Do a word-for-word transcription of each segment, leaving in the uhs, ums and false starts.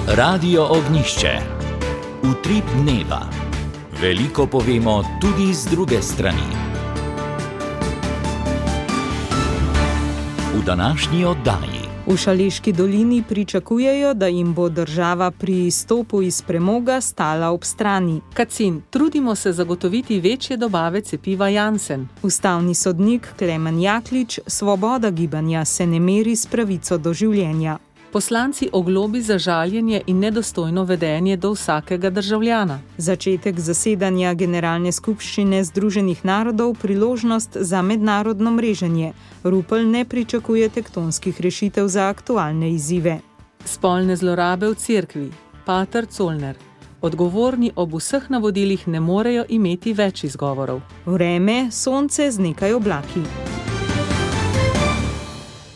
Radio Ognjišče. Utrip dneva. Veliko povemo tudi z druge strani. V današnji oddaji. V Šaleški dolini pričakujejo, da jim bo država pri izstopu iz premoga stala ob strani. Kacin, trudimo se zagotoviti večje dobave cepiva Janssen. Ustavni sodnik Klemen Jaklič, svoboda gibanja se ne meri s pravico do življenja. Poslanci oglobi za žaljenje in nedostojno vedenje do vsakega državljana. Začetek zasedanja Generalne skupščine Združenih narodov priložnost za mednarodno mreženje. Rupel ne pričakuje tektonskih rešitev za aktualne izzive. Spolne zlorabe v cerkvi. Pater Colner. Odgovorni ob vseh navodilih ne morejo imeti več izgovorov. Vreme, sonce z nekaj oblaki.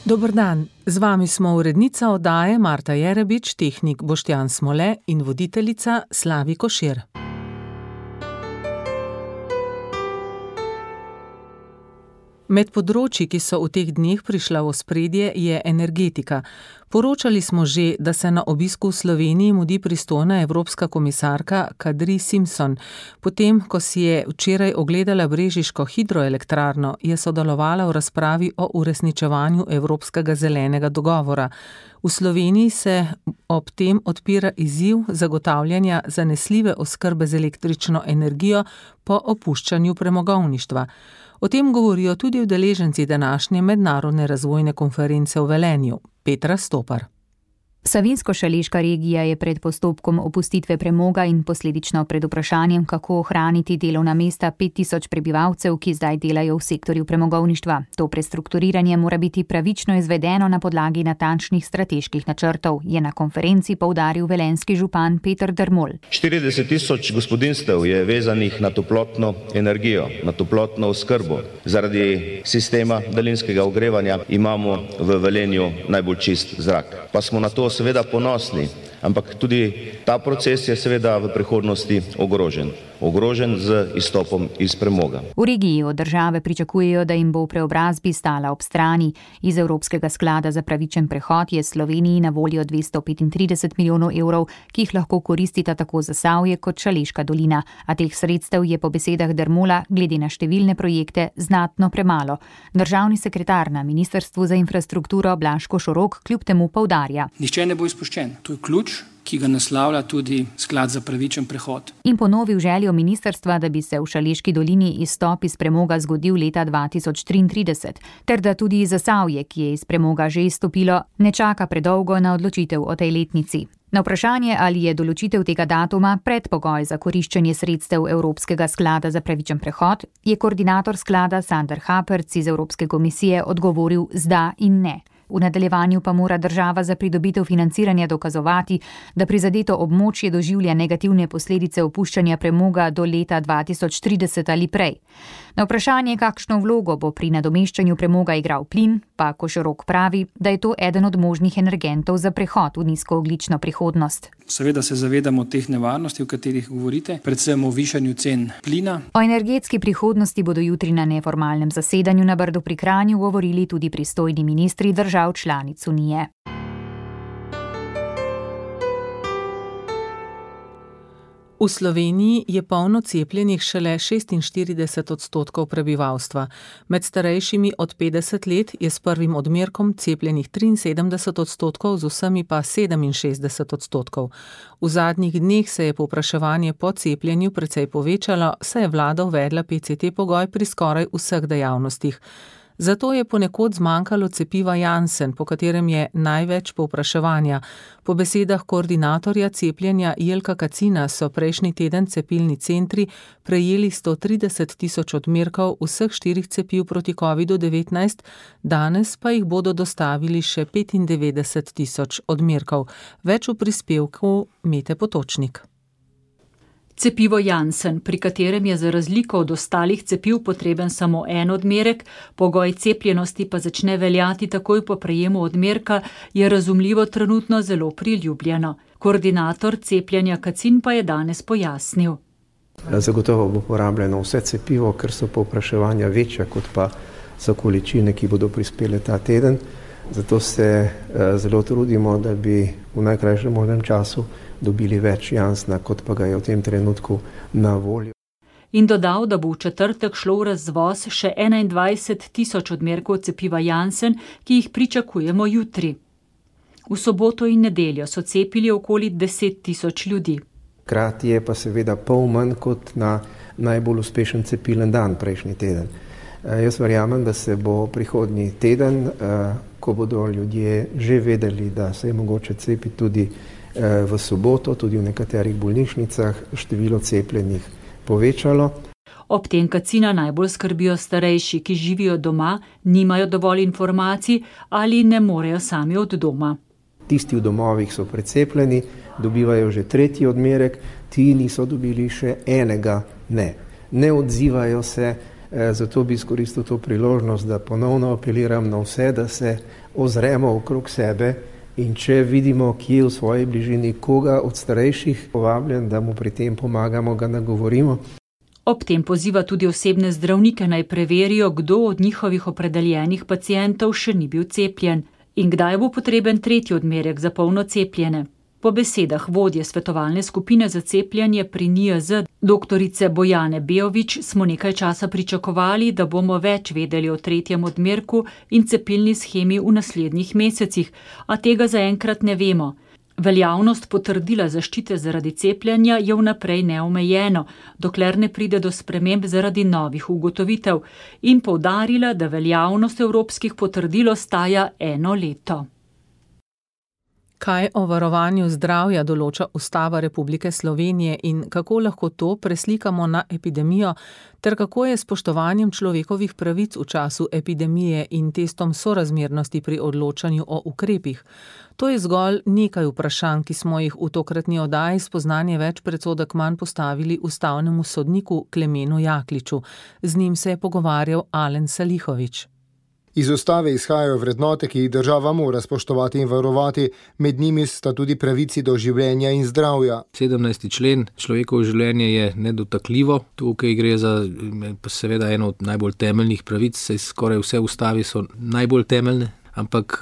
Dober dan, z vami smo urednica oddaje Marta Jerebič, tehnik Boštjan Smole in voditeljica Slavi Košir. Med področji, ki so v teh dneh prišla v ospredje, je energetika. Poročali smo že, da se na obisku v Sloveniji mudi pristojna evropska komisarka Kadri Simpson. Potem, ko si je včeraj ogledala brežiško hidroelektrarno, je sodelovala v razpravi o uresničevanju Evropskega zelenega dogovora. V Sloveniji se ob tem odpira izziv zagotavljanja zanesljive oskrbe z električno energijo po opuščanju premogovništva. O tem govorijo tudi udeleženci današnje mednarodne razvojne konference v Velenju. Petra Stopar. Savinjsko-šaleška regija je pred postopkom opustitve premoga in posledično pred vprašanjem, kako ohraniti delovna mesta pet tisoč prebivalcev, ki zdaj delajo v sektorju premogovništva. To prestrukturiranje mora biti pravično izvedeno na podlagi natančnih strateških načrtov, je na konferenci poudaril velenjski župan Peter Dermol. štirideset tisoč gospodinjstev je vezanih na toplotno energijo, na toplotno oskrbo. Zaradi sistema daljinskega ogrevanja imamo v Velenju najbolj čist zrak. Pa smo na to seveda ponosni, ampak tudi ta proces je seveda v prihodnosti ogrožen. Ogrožen z izstopom iz premoga. V regiji od države pričakujejo, da jim bo v preobrazbi stala ob strani. Iz Evropskega sklada za pravičen prehod je Sloveniji na voljo dvesto petintrideset milijonov evrov, ki jih lahko koristita tako Zasavje kot Šaleška dolina, a teh sredstev je po besedah Dermola glede na številne projekte znatno premalo. Državni sekretar na Ministrstvu za infrastrukturo Blaž Košorok kljub temu poudarja. Nihče ne bo izpuščen. To je ključ, ki ga naslavlja tudi sklad za pravičen prehod. In ponovil željo ministrstva, da bi se v Šaleški dolini izstop iz premoga zgodil leta dva tisoč triintrideset, ter da tudi Zasavje, ki je iz premoga že izstopilo, ne čaka predolgo na odločitev o tej letnici. Na vprašanje, ali je določitev tega datuma predpogoj za koriščenje sredstev Evropskega sklada za pravičen prehod, je koordinator sklada Sander Haperc iz Evropske komisije odgovoril z da in ne. V nadaljevanju pa mora država za pridobitev financiranja dokazovati, da prizadeto območje doživlja negativne posledice opuščanja premoga do leta dva tisoč trideset ali prej. Na vprašanje, kakšno vlogo bo pri nadomeščanju premoga igral plin, pa Košorok pravi, da je to eden od možnih energentov za prehod v nizkoogljično prihodnost. Seveda se zavedamo teh nevarnosti, o katerih govorite, predvsem o višanju cen plina. O energetski prihodnosti bodo jutri na neformalnem zasedanju na Brdu pri Kranju govorili tudi pristojni ministri držav članic Unije. V Sloveniji je polno cepljenih šele šestinštirideset odstotkov prebivalstva. Med starejšimi od petdeset let je s prvim odmerkom cepljenih triinsedemdeset odstotkov, z vsemi pa sedeminšestdeset odstotkov. V zadnjih dneh se je povpraševanje po cepljenju precej povečalo, saj je vlada uvedla P C T pogoj pri skoraj vseh dejavnostih. Zato je ponekod zmanjkalo cepiva Janssen, po katerem je največ povpraševanja. Po besedah koordinatorja cepljenja Jelka Kacina so prejšnji teden cepilni centri prejeli sto trideset tisoč odmerkov vseh štirih cepiv proti kovidu devetnajst, danes pa jih bodo dostavili še petindevetdeset tisoč odmerkov. Več v prispevku Mete Potočnik. Cepivo Janssen, pri katerem je za razliko od ostalih cepiv potreben samo en odmerek, pogoj cepljenosti pa začne veljati takoj po prejemu odmerka, je razumljivo trenutno zelo priljubljeno. Koordinator cepljenja Kacin pa je danes pojasnil. Zagotovo bo porabljeno vse cepivo, ker so povpraševanja večja kot pa so količine, ki bodo prispele ta teden. Zato se zelo trudimo, da bi v najkrajšem možnem času dobili več Janssena, kot pa ga je v tem trenutku na voljo. In dodal, da bo v četrtek šlo v razvoz še enaindvajset tisoč odmerkov cepiva Janssen, ki jih pričakujemo jutri. V soboto in nedeljo so cepili okoli deset tisoč ljudi. Hkrati je pa seveda pol manj kot na najbolj uspešen cepilen dan prejšnji teden. Jaz verjamem, da se bo prihodnji teden, ko bodo ljudje že vedeli, da se je mogoče cepiti tudi v soboto, tudi v nekaterih bolnišnicah, število cepljenih povečalo. Ob tem Kacina najbolj skrbijo starejši, ki živijo doma, nimajo dovolj informacij ali ne morejo sami od doma. Tisti v domovih so precepljeni, dobivajo že tretji odmerek, ti niso dobili še enega ne. Ne odzivajo se, zato bi izkoristil to priložnost, da ponovno apeliram na vse, da se ozremo okrog sebe in če vidimo, kje v svoji bližini koga od starejših povabljen, da mu pri tem pomagamo, ga nagovorimo. Ob tem poziva tudi osebne zdravnike naj preverijo, kdo od njihovih opredeljenih pacientov še ni bil cepljen in kdaj bo potreben tretji odmerek za polno cepljene. Po besedah vodje svetovalne skupine za cepljenje pri N I J Z, doktorice Bojane Bejović, smo nekaj časa pričakovali, da bomo več vedeli o tretjem odmerku in cepilni shemi v naslednjih mesecih, a tega zaenkrat ne vemo. Veljavnost potrdila zaščite zaradi cepljenja je vnaprej neomejeno, dokler ne pride do sprememb zaradi novih ugotovitev, in poudarila, da veljavnost evropskih potrdil ostaja eno leto. Kaj o varovanju zdravja določa Ustava Republike Slovenije in kako lahko to preslikamo na epidemijo, ter kako je s spoštovanjem človekovih pravic v času epidemije in testom sorazmernosti pri odločanju o ukrepih? To je zgolj nekaj vprašanj, ki smo jih v tokratni oddaji Spoznanje več predsodek manj postavili ustavnemu sodniku Klemenu Jakliču. Z njim se je pogovarjal Alen Salihović. Iz ustave izhajajo vrednote, ki jih država mora spoštovati in varovati, med njimi sta tudi pravici do življenja in zdravja. sedemnajsti člen, človekovo življenje je nedotakljivo. Tukaj gre za seveda eno od najbolj temeljnih pravic, saj skoraj vse ustave so najbolj temeljne, ampak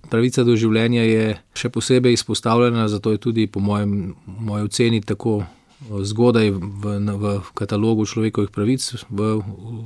pravica do življenja je še posebej izpostavljena, zato je tudi po mojem, moji oceni tako zgodaj v, v katalogu človekovih pravic, v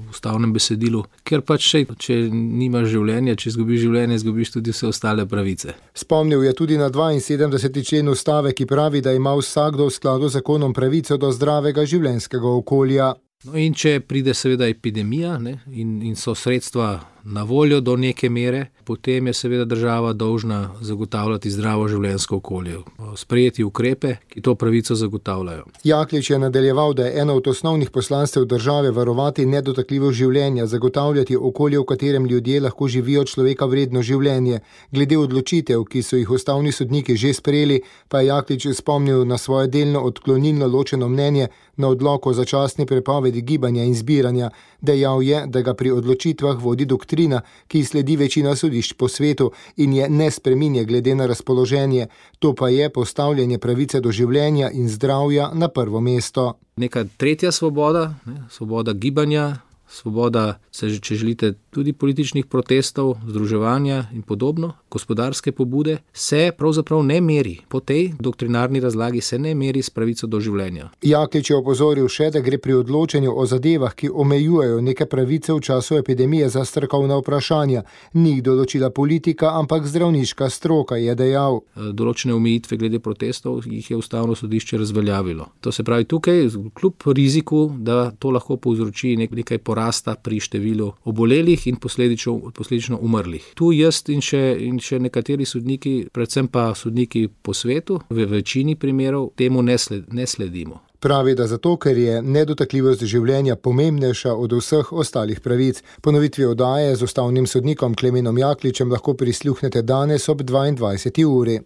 ustavnem besedilu, ker pač še, če nimaš življenja, če izgubiš življenje, izgubiš tudi vse ostale pravice. Spomnil je tudi na dvainsedemdeseti člen ustave, ki pravi, da ima vsakdo v skladu z zakonom pravico do zdravega življenjskega okolja. No in če pride seveda epidemija, ne, in, in so sredstva na voljo do neke mere, potem je seveda država dolžna zagotavljati zdravo življenjsko okolje, sprejeti ukrepe, ki to pravico zagotavljajo. Jaklič je nadaljeval, da je eno od osnovnih poslanstev države varovati nedotakljivo življenje, zagotavljati okolje, v katerem ljudje lahko živijo človeka vredno življenje. Glede odločitev, ki so jih ustavni sodniki že sprejeli, pa je Jaklič spomnil na svoje delno odklonilno ločeno mnenje na odlok o začasni prepovedi gibanja in zbiranja. Dejal je, da ga pri odločitvah vodi doktrina, ki sledi večina sodišč po svetu in je ne spreminja glede na razpoloženje. To pa je postavljanje pravice do življenja in zdravja na prvo mesto. Neka tretja svoboda, ne, svoboda gibanja, svoboda, če želite, tudi političnih protestov, združevanja in podobno, gospodarske pobude, se pravzaprav ne meri. Po tej doktrinarni razlagi se ne meri s pravico do življenja. Jaklič je opozoril še, da gre pri odločanju o zadevah, ki omejujejo neke pravice v času epidemije, za strokovna vprašanja. Ni jih določila politika, ampak zdravniška stroka, je dejal. Določene omejitve glede protestov jih je ustavno sodišče razveljavilo. To se pravi tukaj, kljub riziku, da to lahko povzroči nekaj porasta pri številu obolelih in posledično, posledično umrlih. Tu jaz in še, in še nekateri sodniki, predvsem pa sodniki po svetu, v večini primerov temu ne, sled, ne sledimo. Pravi, da zato, ker je nedotakljivost življenja pomembnejša od vseh ostalih pravic. Ponovitvi oddaje z ustavnim sodnikom Klemenom Jakličem lahko prisluhnete danes ob dvaindvajseti uri.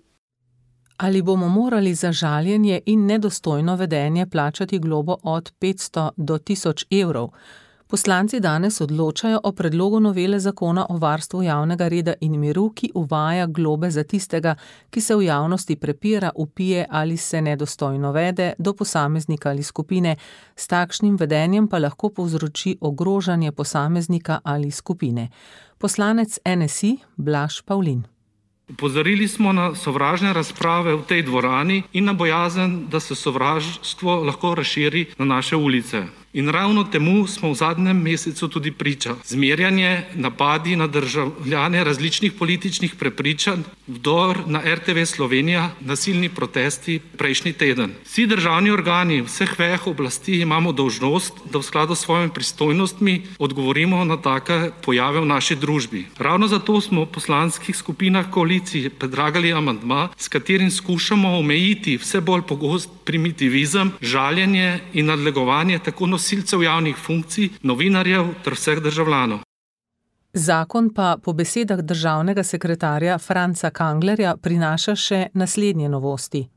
Ali bomo morali za žaljenje in nedostojno vedenje plačati globo od petsto do tisoč evrov? Poslanci danes odločajo o predlogu novele zakona o varstvu javnega reda in miru, ki uvaja globe za tistega, ki se v javnosti prepira, vpije ali se nedostojno vede do posameznika ali skupine. S takšnim vedenjem pa lahko povzroči ogrožanje posameznika ali skupine. Poslanec N S I Blaž Pavlin. Opozorili smo na sovražne razprave v tej dvorani in na bojazen, da se sovraštvo lahko razširi na naše ulice. In ravno temu smo v zadnjem mesecu tudi priča. Zmerjanje, napadi na državljane različnih političnih prepričanj, vdor na R T V Slovenija, nasilni protesti prejšnji teden. Vsi državni organi vseh vejah oblasti imamo dolžnost, da v skladu s svojimi pristojnostmi odgovorimo na take pojave v naši družbi. Ravno zato smo v poslanskih skupinah koalicije predlagali amandma, s katerim skušamo omejiti vse bolj pogost primitivizem, žaljenje in nadlegovanje tako nosilcev javnih funkcij, novinarjev ter vseh državljanov. Zakon pa po besedah državnega sekretarja Franca Kanglerja prinaša še naslednje novosti.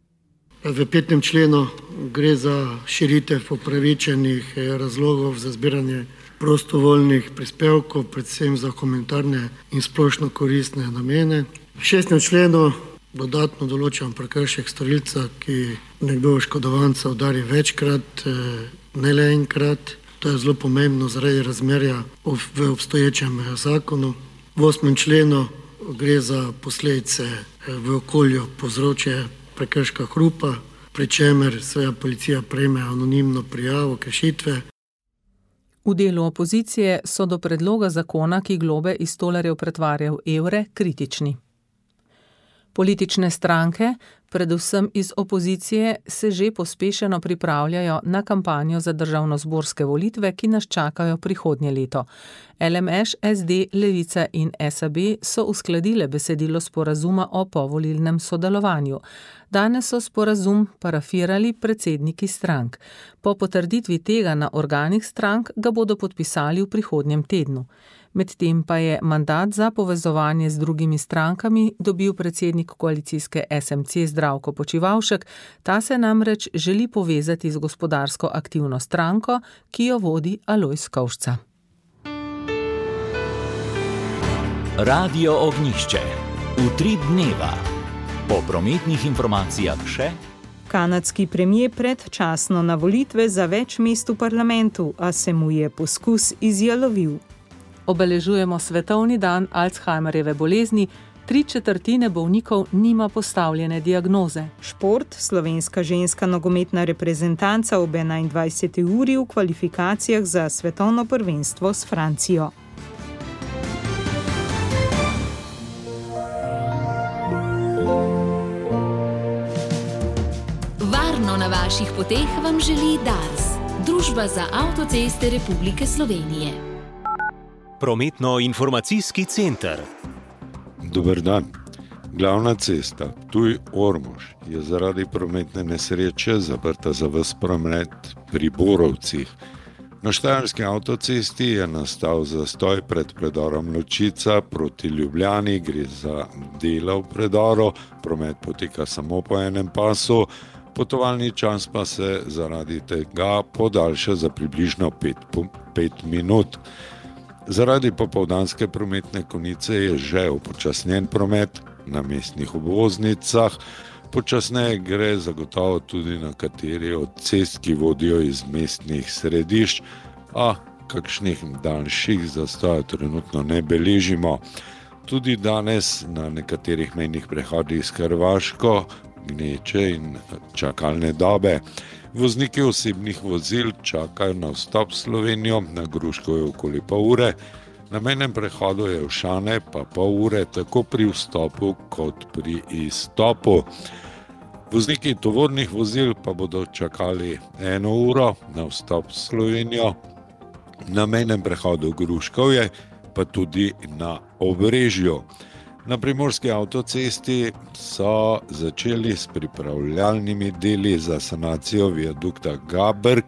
V petem členu gre za širitev upravičenih razlogov za zbiranje prostovoljnih prispevkov, predvsem za humanitarne in splošno koristne namene. V šestem členu dodatno določam prekršek storilca, ki nekdo oškodovanca udari večkrat, ne le enkrat. To je zelo pomembno zaradi razmerja v obstoječem zakonu. V osmem členu gre za posledice v okolju povzročje prekrška hrupa, pri čemer seveda policija prejme anonimno prijavo kršitve. V delu opozicije so do predloga zakona, ki globe iz tolarjev pretvarja v evre, kritični. Politične stranke, predvsem iz opozicije, se že pospešeno pripravljajo na kampanjo za državnozborske volitve, ki nas čakajo prihodnje leto. L M Š, S D, Levica in S A B so uskladile besedilo sporazuma o povolilnem sodelovanju. Danes so sporazum parafirali predsedniki strank. Po potrditvi tega na organih strank ga bodo podpisali v prihodnjem tednu. Medtem pa je mandat za povezovanje z drugimi strankami dobil predsednik koalicijske S M C Zdravko Počivalšek. Ta se namreč želi povezati z gospodarsko aktivno stranko, ki jo vodi Alojz Kovšca. Radio Ognjišče. Utrip dneva. Po prometnih informacijah še. Kanadski premier predčasno na volitve za več mest v parlamentu, a se mu je poskus izjalovil. Obeležujemo svetovni dan Alzheimerjeve bolezni, tri četrtine bolnikov nima postavljene diagnoze. Šport, slovenska ženska nogometna reprezentanca ob enaindvajseti uri v kvalifikacijah za svetovno prvenstvo s Francijo. Varno na vaših poteh vam želi Dars, Družba za avtoceste Republike Slovenije. Prometno-informacijski center. Dober dan. Glavna cesta Ptuj-Ormož je zaradi prometne nesreče zaprta za ves promet pri Borovcih. Na štajerski avtocesti je nastal zastoj pred predorom Ločica proti Ljubljani, gre za dela v predoru, promet poteka samo po enem pasu, potovalni čas pa se zaradi tega podaljša za približno pet, pet minut. Zaradi popoldanske prometne konice je že upočasnjen promet na mestnih obvoznicah. Počasneje gre zagotovo tudi na kateri od cest, ki vodijo iz mestnih središč, a kakšnih daljših zastojev trenutno ne beležimo. Tudi danes na nekaterih mejnih prehodih s Hrvaško gneče in čakalne dobe. Vozniki osebnih vozil čakajo na vstop v Slovenijo, na Gruškovju okoli pol ure, na mejnem prehodu Jelšane pa pol ure tako pri vstopu kot pri izstopu. Vozniki tovornih vozil pa bodo čakali eno uro na vstop v Slovenijo, na mejnem prehodu Gruškovje pa tudi na Obrežju. Na primorski avtocesti so začeli s pripravljalnimi deli za sanacijo viadukta Gaberg.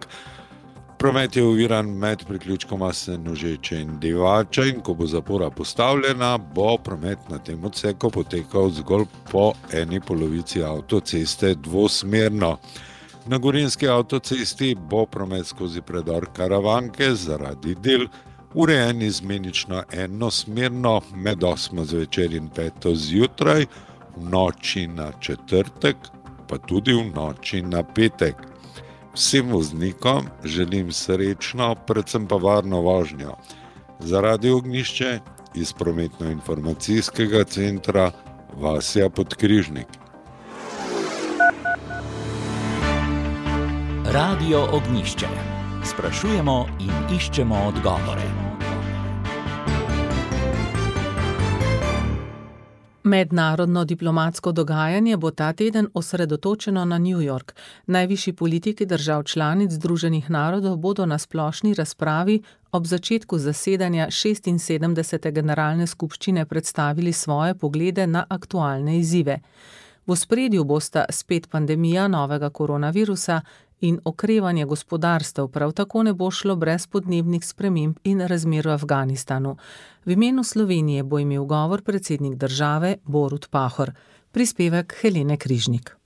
Promet je oviran med priključkoma Senožeče in Divača in ko bo zapora postavljena, bo promet na tem odseku potekal zgolj po eni polovici avtoceste dvosmerno. Na Gorenjski avtocesti bo promet skozi predor Karavanke zaradi del urejen izmenično enosmerno med osmo zvečer in peto zjutraj, v noči na četrtek, pa tudi v noči na petek. Vsem voznikom želim srečno, predvsem pa varno vožnjo. Zaradi Ognjišče iz prometno-informacijskega centra Vasja Podkrižnik. Radio Ognjišče. Sprašujemo in iščemo odgovore. Mednarodno diplomatsko dogajanje bo ta teden osredotočeno na New York. Najvišji politiki držav članic Združenih narodov bodo na splošni razpravi ob začetku zasedanja šestinsedemdesete generalne skupščine predstavili svoje poglede na aktualne izzive. V ospredju bosta spet pandemija novega koronavirusa in okrevanje gospodarstev, prav tako ne bo šlo brez podnebnih sprememb in razmer v Afganistanu. V imenu Slovenije bo imel govor predsednik države Borut Pahor. Prispevek Helene Križnik.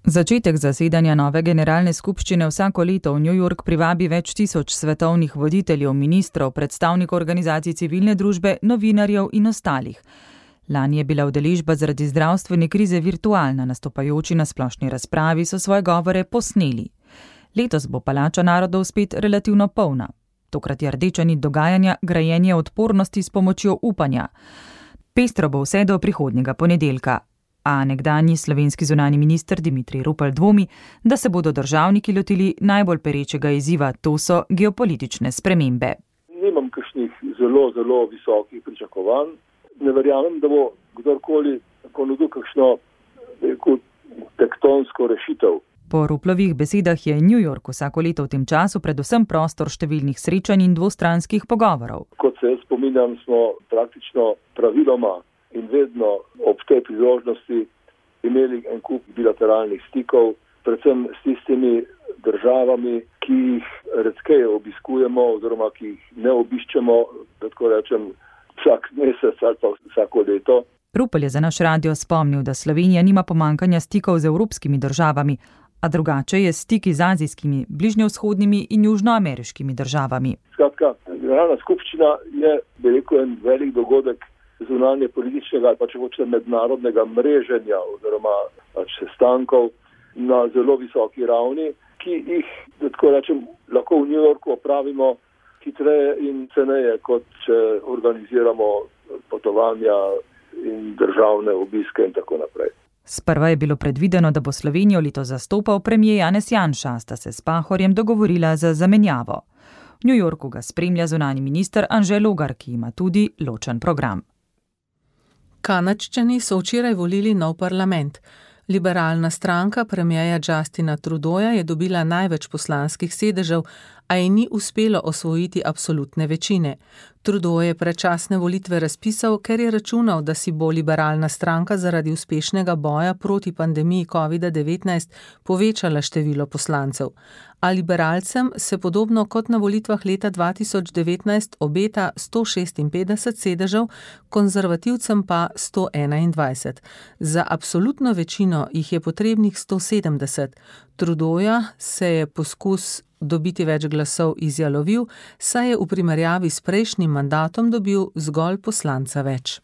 Začetek zasedanja nove generalne skupščine vsako leto v New York privabi več tisoč svetovnih voditeljev, ministrov, predstavnikov organizacij civilne družbe, novinarjev in ostalih. Lani je bila udeležba zaradi zdravstvene krize virtualna, nastopajoči na splošni razpravi so svoje govore posneli. Letos bo palača narodov spet relativno polna. Tokrat je rdeča nit dogajanja grajenje odpornosti s pomočjo upanja. Pestro bo vse do prihodnjega ponedeljka, a nekdanji slovenski zunanji minister Dimitrij Rupel dvomi, da se bodo državniki lotili najbolj perečega izziva, to so geopolitične spremembe. Nimam kakšnih zelo, zelo visokih pričakovanj. Ne verjamem, da bo kdorkoli ponudil kakšno tektonsko rešitev. Po Ruplovih besedah je New York vsako leto v tem času predvsem prostor številnih srečanj in dvostranskih pogovorov. Kot se jaz spominjam, smo praktično praviloma in vedno ob tej priložnosti imeli en kup bilateralnih stikov, predvsem s tistimi državami, ki jih redkeje obiskujemo oziroma ki jih ne obiščemo, tako rečem, vsak mesec ali pa vsako leto. Rupel je za naš radio spomnil, da Slovenija nima pomankanja stikov z evropskimi državami, a drugače je stiki z azijskimi, bližnjevzhodnimi in južnoameriškimi državami. Skratka, generalna skupščina je, bi rekel, en velik dogodek zunanje političnega ali pa če hočete mednarodnega mreženja oziroma pač sestankov na zelo visoki ravni, ki jih, tako rečem, lahko v New Yorku opravimo hitreje in ceneje, kot če organiziramo potovanja in državne obiske in tako naprej. Sprva je bilo predvideno, da bo Slovenijo letos zastopal premier Janez Janša, sta se s Pahorjem dogovorila za zamenjavo. V New Yorku ga spremlja zunanji minister Anže Logar, ki ima tudi ločen program. Kanadčani so včeraj volili nov parlament. Liberalna stranka premierja Justina Trudeauja je dobila največ poslanskih sedežev, a ji ni uspelo osvojiti absolutne večine. Trudeau je predčasne volitve razpisal, ker je računal, da si bo liberalna stranka zaradi uspešnega boja proti pandemiji covid devetnajst povečala število poslancev. A liberalcem se podobno kot na volitvah leta dva tisoč devetnajst obeta sto šestinpetdeset sedežev, konzervativcem pa sto enaindvajset. Za absolutno večino jih je potrebnih sto sedemdeset. Trudeauja se je poskus dobiti več glasov izjalovil, saj je v primerjavi s prejšnjim mandatom dobil zgolj poslanca več.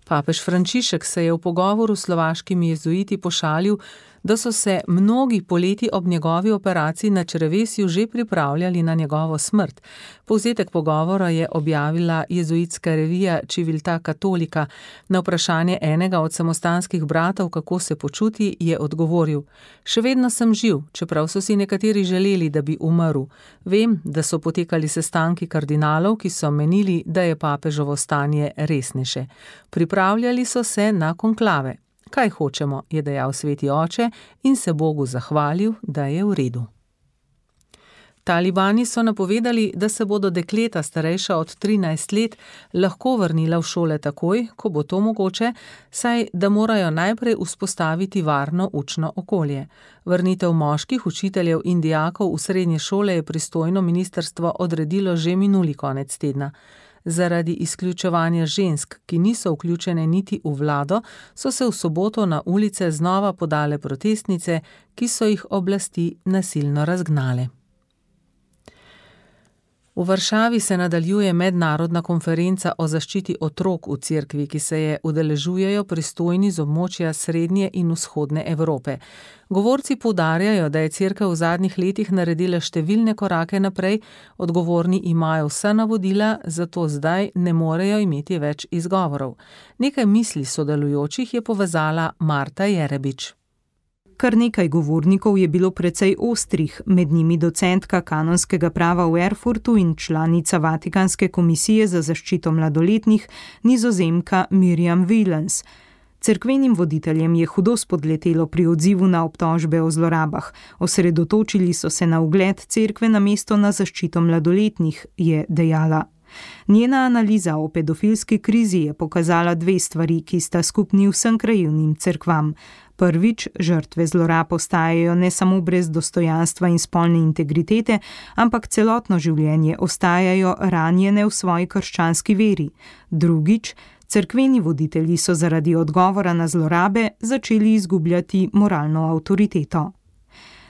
Papež Frančišek se je v pogovoru s slovaškimi jezuiti pošalil, da so se mnogi poleti ob njegovi operaciji na črevesju že pripravljali na njegovo smrt. Povzetek pogovora je objavila jezuitska revija Civiltà Cattolica. Na vprašanje enega od samostanskih bratov, kako se počuti, je odgovoril: "Še vedno sem živ, čeprav so si nekateri želeli, da bi umrl. Vem, da so potekali sestanki kardinalov, ki so menili, da je papežovo stanje resnejše. Pripravljali so se na konklave. Kaj hočemo, je dejal sveti oče in se Bogu zahvalil, da je v redu." Talibani so napovedali, da se bodo dekleta starejša od trinajst let lahko vrnila v šole takoj, ko bo to mogoče, saj da morajo najprej vzpostaviti varno učno okolje. Vrnitev moških učiteljev in dijakov v srednje šole je pristojno ministrstvo odredilo že minuli konec tedna. Zaradi izključevanja žensk, ki niso vključene niti v vlado, so se v soboto na ulice znova podale protestnice, ki so jih oblasti nasilno razgnale. V Varšavi se nadaljuje mednarodna konferenca o zaščiti otrok v cerkvi, ki se je udeležujejo pristojni z območja srednje in vzhodne Evrope. Govorci poudarjajo, da je cerkev v zadnjih letih naredila številne korake naprej, odgovorni imajo vsa navodila, zato zdaj ne morejo imeti več izgovorov. Nekaj misli sodelujočih je povezala Marta Jerebič. Kar nekaj govornikov je bilo precej ostrih, med njimi docentka kanonskega prava v Erfurtu in članica Vatikanske komisije za zaščito mladoletnih, Nizozemka Mirjam Willens. Cerkvenim voditeljem je hudo spodletelo pri odzivu na obtožbe o zlorabah. Osredotočili so se na ugled cerkve namesto na zaščito mladoletnih, je dejala. Njena analiza o pedofilski krizi je pokazala dve stvari, ki sta skupni vsem krajevnim cerkvam. Prvič, žrtve zlorab ostajajo ne samo brez dostojanstva in spolne integritete, ampak celotno življenje ostajajo ranjene v svoji krščanski veri. Drugič, cerkveni voditelji so zaradi odgovora na zlorabe začeli izgubljati moralno avtoriteto.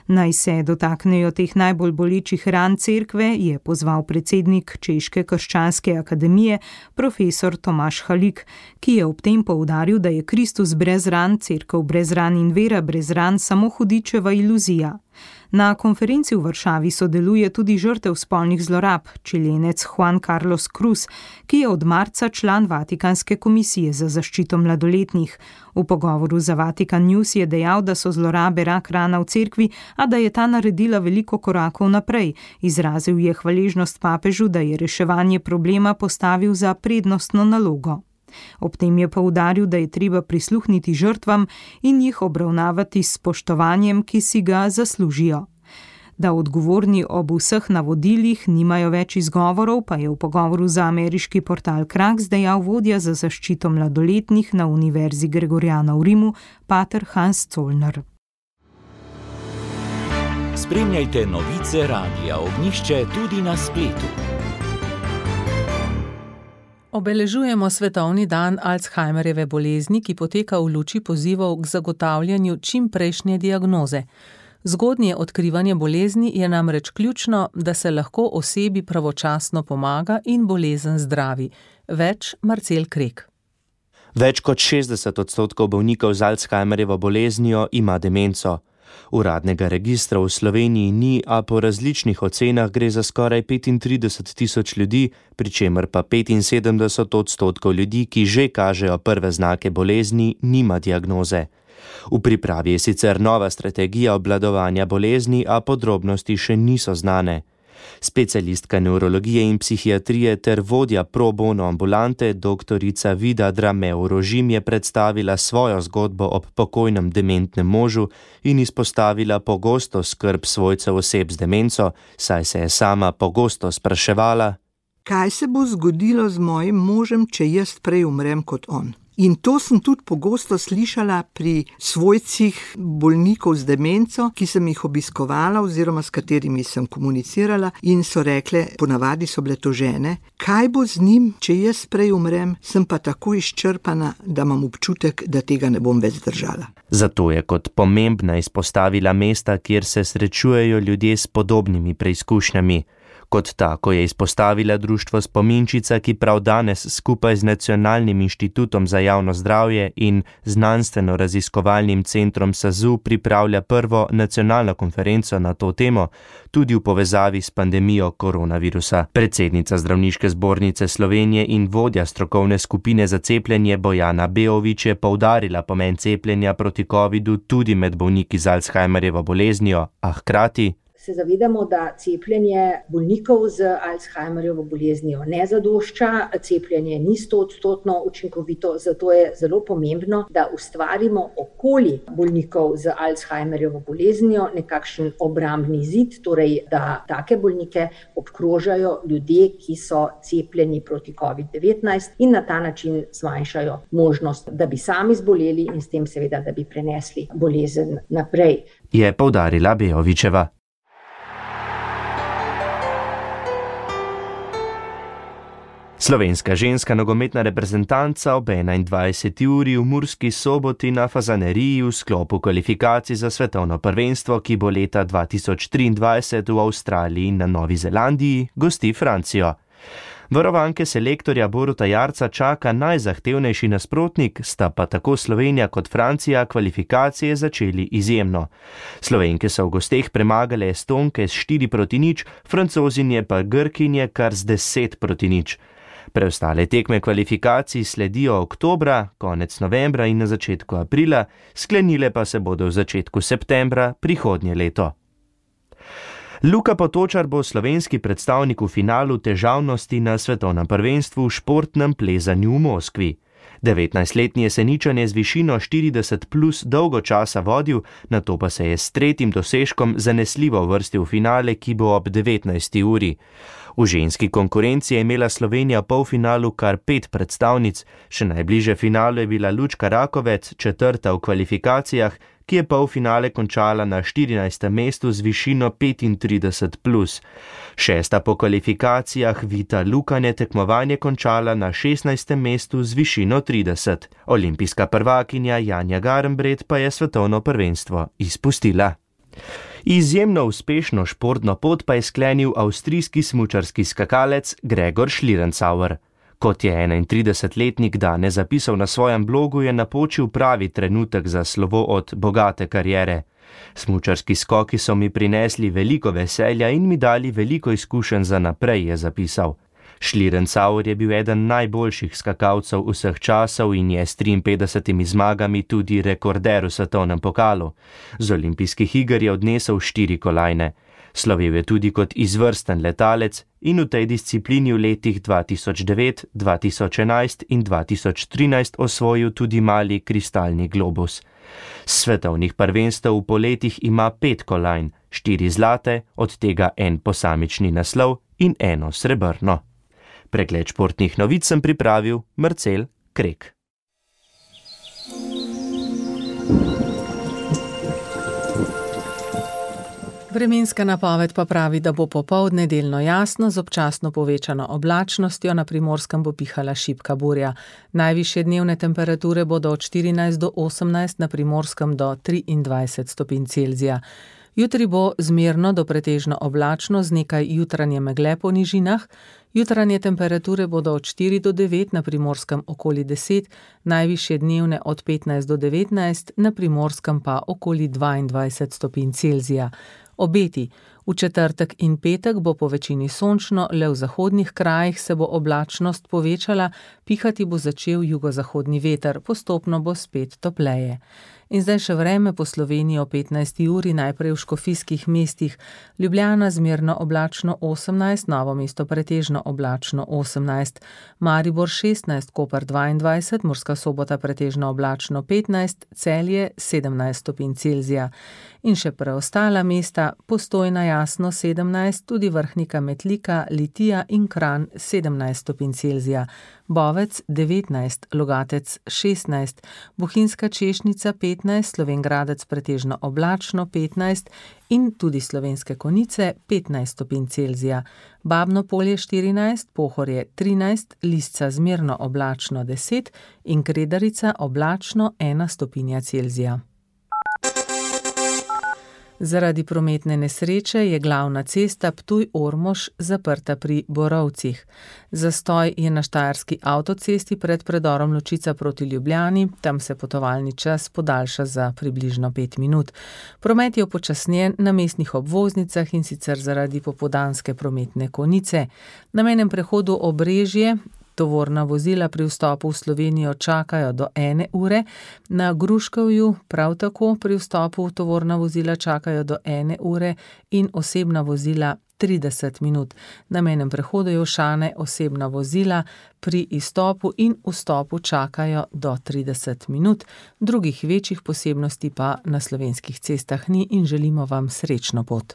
Naj se dotaknejo teh najbolj bolečih ran cerkve, je pozval predsednik Češke krščanske akademije, profesor Tomaš Halik, ki je ob tem poudaril, da je Kristus brez ran, cerkev brez ran in vera brez ran samo hudičeva iluzija. Na konferenci v Varšavi sodeluje tudi žrtev spolnih zlorab, čilenec Juan Carlos Cruz, ki je od marca član Vatikanske komisije za zaščito mladoletnih. V pogovoru za Vatikan News je dejal, da so zlorabe rak rana v cerkvi, a da je ta naredila veliko korakov naprej. Izrazil je hvaležnost papežu, da je reševanje problema postavil za prednostno nalogo. Ob tem je poudaril, da je treba prisluhniti žrtvam in jih obravnavati s spoštovanjem, ki si ga zaslužijo. Da odgovorni ob vseh navodilih nimajo več izgovorov, pa je v pogovoru za ameriški portal Kraks dejal vodja za zaščito mladoletnih na Univerzi Gregoriana v Rimu, pater Hans Zollner. Spremljajte novice Radia Ognjišče tudi na spletu. Obeležujemo svetovni dan Alzheimerjeve bolezni, ki poteka v luči pozivov k zagotavljanju čimprejšnje diagnoze. Zgodnje odkrivanje bolezni je namreč ključno, da se lahko osebi pravočasno pomaga in bolezen zdravi. Več Marcel Krek. Več kot šestdeset odstotkov bolnikov z Alzheimerjevo boleznijo ima demenco. Uradnega registra v Sloveniji ni, a po različnih ocenah gre za skoraj petintrideset tisoč ljudi, pri čemer pa petinsedemdeset odstotkov ljudi, ki že kažejo prve znake bolezni, nima diagnoze. V pripravi je sicer nova strategija obvladovanja bolezni, a podrobnosti še niso znane. Specialistka nevrologije in psihiatrije ter vodja pro bono ambulante doktorica Vida Drameu-Rožim je predstavila svojo zgodbo ob pokojnem dementnem možu in izpostavila pogosto skrb svojcev oseb z demenco, saj se je sama pogosto spraševala: kaj se bo zgodilo z mojim možem, če jaz prej umrem kot on? In to sem tudi pogosto slišala pri svojcih bolnikov z demenco, ki sem jih obiskovala oziroma s katerimi sem komunicirala in so rekle, ponavadi so bile to žene, kaj bo z njim, če jaz prej umrem, sem pa tako izčrpana, da imam občutek, da tega ne bom več zdržala. Zato je kot pomembna izpostavila mesta, kjer se srečujejo ljudje s podobnimi preizkušnjami. Kot tako je izpostavila društvo Spominčica, ki prav danes skupaj z Nacionalnim inštitutom za javno zdravje in znanstveno-raziskovalnim centrom S A Z U pripravlja prvo nacionalno konferenco na to temo, tudi v povezavi s pandemijo koronavirusa. Predsednica Zdravniške zbornice Slovenije in vodja strokovne skupine za cepljenje Bojana Beović je poudarila pomen cepljenja proti covidu tudi med bolniki z Alzheimerjevo boleznijo, a hkrati se zavedamo, da cepljenje bolnikov z Alzheimerjevo boleznijo ne zadošča, cepljenje ni stoodstotno učinkovito, zato je zelo pomembno, da ustvarimo okoli bolnikov z Alzheimerjevo boleznijo nekakšen obrambni zid, torej da take bolnike obkrožajo ljudje, ki so cepljeni proti covid devetnajst in na ta način zmanjšajo možnost, da bi sami zboleli in s tem seveda, da bi prenesli bolezen naprej. Je poudarila Beovićeva. Slovenska ženska nogometna reprezentanca ob enaindvajseti uri v Murski Soboti na Fazaneriji v sklopu kvalifikacij za svetovno prvenstvo, ki bo leta dva tisoč triindvajset v Avstraliji in na Novi Zelandiji, gosti Francijo. Varovanke selektorja Boruta Jarca čaka najzahtevnejši nasprotnik, sta pa tako Slovenija kot Francija kvalifikacije začeli izjemno. Slovenke so v gosteh premagale Estonke s štiri proti nič, Francozinje pa Grkinje kar z deset proti nič. Preostale tekme kvalifikacij sledijo oktobra, konec novembra in na začetku aprila, sklenile pa se bodo v začetku septembra prihodnje leto. Luka Potočar bo slovenski predstavnik v finalu težavnosti na svetovnem prvenstvu v športnem plezanju v Moskvi. devetnajstletni Jeseničan je z višino štirideset plus dolgo časa vodil, nato pa se je s tretjim dosežkom zanesljivo uvrstil v finale, ki bo ob devetnajsti uri. V ženski konkurenci je imela Slovenija v polfinalu kar pet predstavnic, še najbliže finalu je bila Lučka Rakovec, četrta v kvalifikacijah, ki je polfinale končala na štirinajstem mestu z višino petintrideset plus. Šesta po kvalifikacijah Vita Lukan je tekmovanje končala na šestnajstem mestu z višino trideset. Olimpijska prvakinja Janja Garnbret pa je svetovno prvenstvo izpustila. Izjemno uspešno športno pot pa je sklenil avstrijski smučarski skakalec Gregor Schlierenzauer. Kot je enaintridesetletnik danes zapisal na svojem blogu, je napočil pravi trenutek za slovo od bogate kariere. Smučarski skoki so mi prinesli veliko veselja in mi dali veliko izkušenj za naprej, je zapisal. Schlierenzauer je bil eden najboljših skakalcev vseh časov in je s triinpetdesetimi zmagami tudi rekorder v svetovnem pokalu. Z olimpijskih iger je odnesel štiri kolajne. Slovel je tudi kot izvrsten letalec in v tej disciplini v letih dva tisoč devet, dva tisoč enajst in dva tisoč trinajst osvojil tudi mali kristalni globus. S svetovnih prvenstev v poletih ima pet kolajn, štiri zlate, od tega en posamični naslov in eno srebrno. Pregled športnih novic sem pripravil Marcel Krek. Vremenska napoved pa pravi, da bo popoldne delno jasno z občasno povečano oblačnostjo, na Primorskem bo pihala šibka burja. Najvišje dnevne temperature bodo od štirinajst do osemnajst, na Primorskem do triindvajset stopinj Celzija. Jutri bo zmerno do pretežno oblačno z nekaj jutranje megle po nižinah. Jutranje temperature bodo od štiri do devet, na Primorskem okoli deset, najvišje dnevne od petnajst do devetnajst, na Primorskem pa okoli dvaindvajset stopinj Celzija. Obeti. V četrtek in petek bo po večini sončno, le v zahodnih krajih se bo oblačnost povečala, pihati bo začel jugozahodni veter, postopno bo spet topleje. In zdaj še vreme po Sloveniji o petnajsti uri, najprej v škofijskih mestih. Ljubljana zmerno oblačno osemnajst, Novo mesto pretežno oblačno osemnajst, Maribor šestnajst, Koper dvaindvajset, Murska Sobota pretežno oblačno petnajst, Celje sedemnajst stopinj Celzija. In še preostala mesta, Postojna jasno sedemnajst, tudi Vrhnika Metlika, Litija in Kranj sedemnajst stopinj Celzija, Bovec devetnajst, Logatec šestnajst, Bohinjska Češnica petnajst, Slovenj Gradec pretežno oblačno petnajst in tudi Slovenske Konjice petnajst stopinj Celzija, Babno Polje štirinajst, Pohorje trinajst, Lisca zmerno oblačno deset in Kredarica oblačno ena stopinja Celzija. Zaradi prometne nesreče je glavna cesta Ptuj-Ormož zaprta pri Borovcih. Zastoj je na štajerski avtocesti pred predorom Ločica proti Ljubljani, tam se potovalni čas podaljša za približno pet minut. Promet je upočasnjen na mestnih obvoznicah in sicer zaradi popoldanske prometne konice. Na mejnem prehodu Obrežje tovorna vozila pri vstopu v Slovenijo čakajo do ene ure, na Gruškovju prav tako pri vstopu tovorna vozila čakajo do ene ure in osebna vozila trideset minut. Na mejnem prehodu Jelšane osebna vozila pri izstopu in vstopu čakajo do trideset minut. Drugih večjih posebnosti pa na slovenskih cestah ni in želimo vam srečno pot.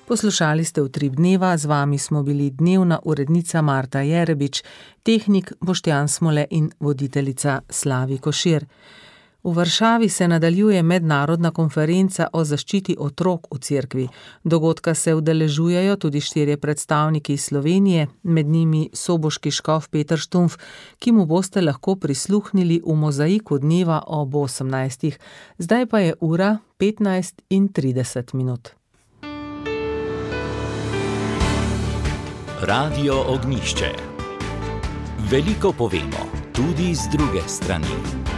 Poslušali ste Utrip dneva, z vami smo bili dnevna urednica Marta Jerebič, tehnik Boštjan Smole in voditeljica Slavi Košir. V Varšavi se nadaljuje mednarodna konferenca o zaščiti otrok v cerkvi. Dogodka se udeležujejo tudi štirje predstavniki iz Slovenije, med njimi soboški škof Peter Štumpf, ki mu boste lahko prisluhnili v mozaiku dneva ob osemnajstih. Zdaj pa je ura petnajst in trideset minut. Radio Ognjišče. Veliko povemo, tudi z druge strani.